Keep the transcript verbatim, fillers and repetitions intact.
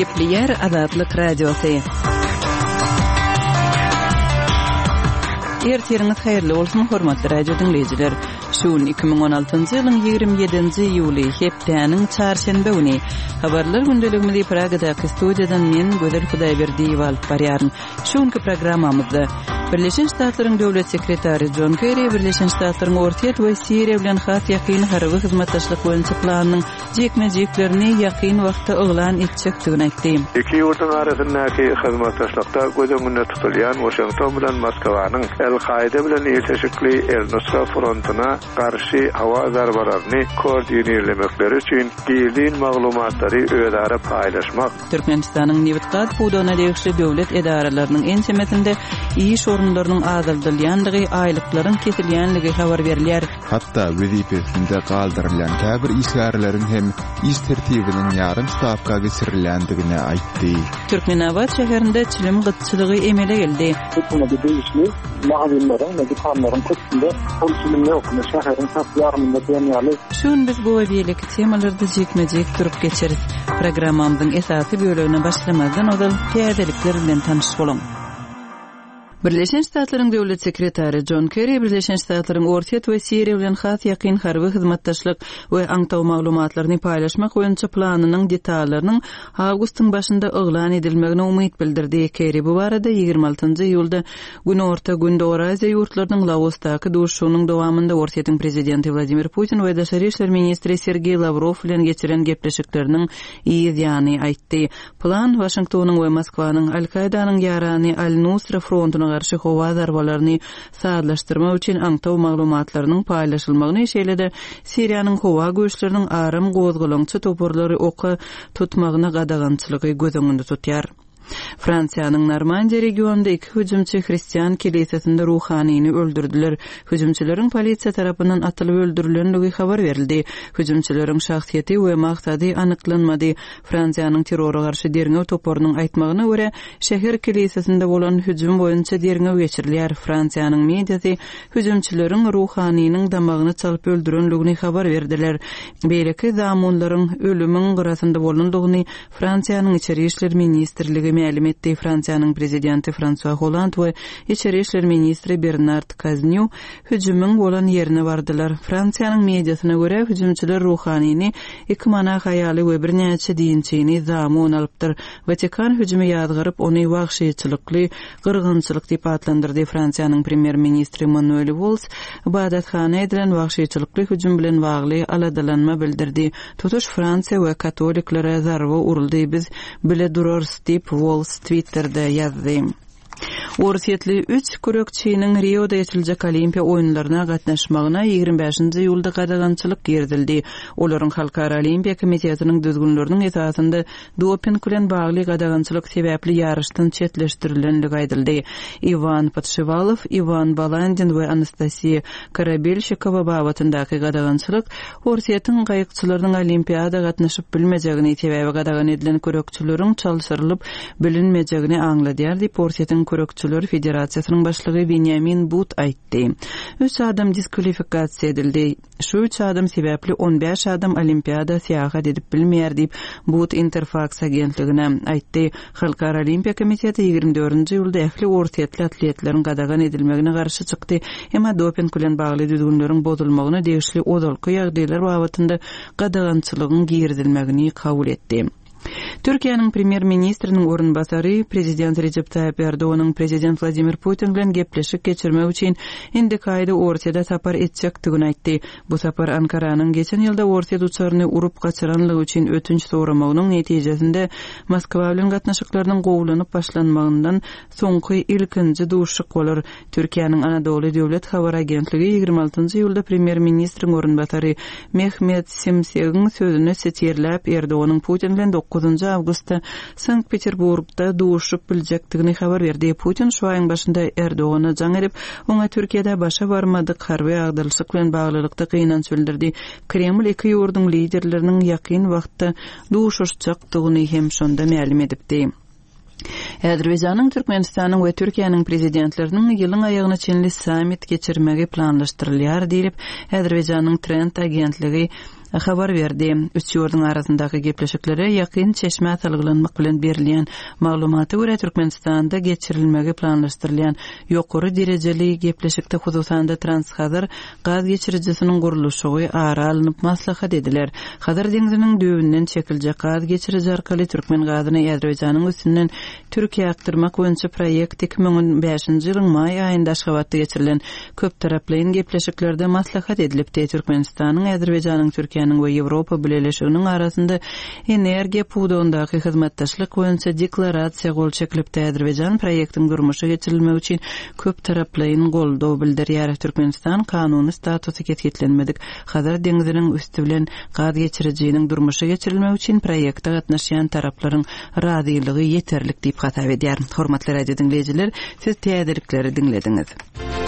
Gepleýär Azatlyk Radiosy. Ertiriňiz haýyrly bolsun, hormatly radio diňleýjiler. Şu gün iki müň on altynjy ýylyň ýigrimi ýedinji iýuly, hepdäniň çarşenbe güni. Habarlar gündeligimizi Pragadaky studiýadan men, Gözel Hudaýberdiýewa alyp barýaryn. Şu günki programmamyzda Birleşen Ştatlaryň Döwlet sekretary Jon Kerri Birleşen Ştatlaryň Orsýet we Siriýa bilen has ýakyn harby hyzmatdaşlyk boýunça planynyň jikme-jiklerini ýakyn wagtda yglan etjekdigini aýtdy. Iki ýurduň arasyndaky hyzmatdaşlykda göz öňünde tutulýan Waşington bilen Moskwanyň El-Kaýda bilen ilteşikli El-Nusra frontuna garşy howa zarbalaryny koordinirlemekleri üçin gizlin maglumatlary özara paýlaşmak. Türkmenistanyň nebit-gaz pudagyna degişli döwlet edaralarynyň ençemesinde iş orunlarynyň azaldylýandygy, aýlyklaryň kesilýändigi habar berilýär. Hatda wezipesinde galdyrylýan käbir işgärleriň hem iş tertibiniň ýarym stawka geçirilýändigini aýtdy. Türkmenabat şäherinde çilim gytçylygy emele geldi. Hökümete degişli magazinleriň we dükanlaryň köpüsinde ol çilim ýok. Şäheriň tas ýarymynda diýen ýaly. Şu gün biz bu we beýleki temalarda jikme-jik durup geçeris. Programmamyzyň esasy bölegine başlamazdan ozal täzelikler bilen tanyş boluň. Birleşen Ştatlaryň Döwlet sekretary Jon Kerri Birleşen Ştatlaryň Orsýet we Siriýa bilen has ýakyn harby hyzmatdaşlyk we aňtaw maglumatlaryny paýlaşmak boýunça planynyň detallarynyň awgustyň başynda yglan edilmegine umyt bildirdi. Kerri bu barada ýigrimi altynjy iýulda Günorta Gündogar Aziýa ýurtlarynyň Laosdaky duşuşygynyň dowamynda Orsýetiň prezidenti Wladimir Putin we daşary işler ministri Sergeý Lawrow bilen geçiren gepleşikleriniň yz ýany aýtdy. Plan Waşingtonyň we Moskwanyň Al-Kaýdanyň ýarany Al-Nusra frontuna garşy howa zarbalaryny sazlaşdyrmak üçin aňtaw maglumatlarynyň paýlaşylmagyny, şeýle-de Siriýanyň howa güýçleriniň aram gozgalaňçy toparlary oka tutmagyna gadagançylygy göz öňünde tutýar. Fransiýanyň Normandiýa regionynda iki hüjümçi hristian kilisesinde ruhanyny öldürdiler. Hüjümçileriň polisiýa tarapyndan atylyp öldürilenligi habar berildi. Hüjümçileriň şahsyýeti we maksady anyklanmady. Fransiýanyň terrora garşy derňew toparynyň aýtmagyna görä, şäher kilisesinde bolan hüjüm boýunça derňew geçirilýär. Fransiýanyň mediasy hüjümçileriň ruhanynyň damagyny çalyp öldürenligini habar berdiler. Beýleki zamunlaryň ölümiň gyrasynda bolandygyny Fransiýanyň İçeri İşler Ministrligi mälim etdi. Fransiýanyň prezidenti François Hollande we İçeri İşler Ministri Bernard Cazeneuve hüjümiň bolan ýerine bardylar. Fransiýanyň mediasyna görä hüjümçiler ruhanyny iki monah aýaly we birnäçe dinçini zamun alypdyr. Vatikan hüjümi ýazgaryp, ony wagşyçylykly gyrgynçylyk diýip atlandyrdy. Fransiýanyň premýer-ministri Manuel Valls ibadathana edilen wagşyçylykly hüjüm bilen bagly aladalanma bildirdi. Tutuş Fransiýa we katoliklere zarba uruldy. Biz bile durarys diýip Valls Twitter'de ýazdy. Orsýetli üç kürekçiniň Rioda geçiriljek Olimpiýa oýunlaryna gatnaşmagyna ýigrimi bäşinji iýulda gadagançylyk girizildi. Olaryň Halkara Olimpiýa Komitetiniň düzgünleriniň esasynda doping bilen bagly gadagançylyk sebäpli ýaryşdan çetleşdirilendigi aýdyldy. Iwan Podşiwalow, Iwan Balandin we Anastasiýa Karabelşikowa babatyndaky gadagançylyk Orsýetiň gaýykçylarynyň Olimpiada gatnaşyp bilmejegini, sebäbi gadagan edilen kürekçileriň çalşyrylyp bilinmejegini aňladýar diýip Orsýetiň Kürekçiler Federasiýasynyň başlygy Benjamin But aýtdy. Üç adam diskvalifikasiýa edildi. Şu üç adam sebäpli on bäş adam Olimpiada syýahat edip bilmeýär diýip But Interfax agentligine aýtdy. Halkara Olimpiýa Komiteti ýigrimi dördünji iýulda ähli orsýetli atletleriň gadagan edilmegine garşy çykdy. Emma doping bilen bagly düzgünleriň bozulmagyna degişli ozalky ýagdaýlar babatynda gadagançylygyň girizilmegini kabul etdi. Türkiýäniň premýer-ministriniň orunbasary prezident Recep Tayyip Erdoganyň prezident Wladimir Putin bilen gepleşik geçirmek üçin indiki aýda Orsýete sapar etjekdigini aýtdy. Bu sapar Ankaranyň geçen ýylda Orsýet uçaryny urup gaçyranlygy üçin ötünç soramagynyň netijesinde Moskwa bilen gatnaşyklarynyň gowulanyp başlanmagyndan soňky ilkinji duşuşyk bolar. Türkiýäniň Anadolu Döwlet Habar Agentligi ýigrimi altynjy iýulda premýer-ministriň orunbasary Mehmet Simsegiň sözüni sitirläp Erdoganyň Putin bilen dokuzynjy awgustda Sankt Peterburgda duşup biljekdigini habar berdi. Putin şu aýyň başynda Erdogana jaň edip, oňa Türkiýede başa barmadyk harby agdalyşyk bilen baglylykda gynanç bildirdi. Kreml iki ýurduň liderleriniň ýakyn wagtda duşuşjakdygyny hem şonda mälim edipdi. Azerbaýjanyň, Türkmenistanyň we Türkiýäniň prezidentleriniň ýylyň aýagyna çenli sammit geçirmegi planlaşdyrylýar diýlip, Azerbaýjanyň Trend agentligi habar berdi. Üç ýurduň arasyndaky gepleşiklere ýakyn çeşmä salgylanmak bilen berilýän maglumata görä Türkmenistanda geçirilmegi planlaşdyrylýan ýokary derejeli gepleşikde hususan-da Transhazar gaz geçirijisiniň gurluşygy ara alnyp maslahat ediler. Hazar deňziniň düýbünden çekiljek gaz geçiriji arkaly türkmen gazyny Azerbaýjanyň üstünden Türkiýä akdyrmak boýunça proýekt iki müň on bäşinji ýylyň maý aýynda Aşgabatda geçirilen köptaraplaýyn gepleşiklerde maslahat edilipdi. Türkmenistanyň, Azerbaýjanyň, Türkiýäniň we Ýewropa Bileleşiginiň arasynda energiýa pudagyndaky hyzmatdaşlyk boýunça deklarasiýa gol çekilipdi. Azerbaýjan proýektiň durmuşa geçirilmegi üçin köptaraplaýyn goldaw bildirýär. Türkmenistan kanuny statusy kesgitlenmedik Hazar deňziniň üsti bilen gaz geçirijiniň durmuşa geçirilmegi üçin proýekte gatnaşýan taraplaryň razylygy ýeterlik diýip hasap edýär. Hormatly radio diňleýjiler, siz täzelikleri diňlediňiz.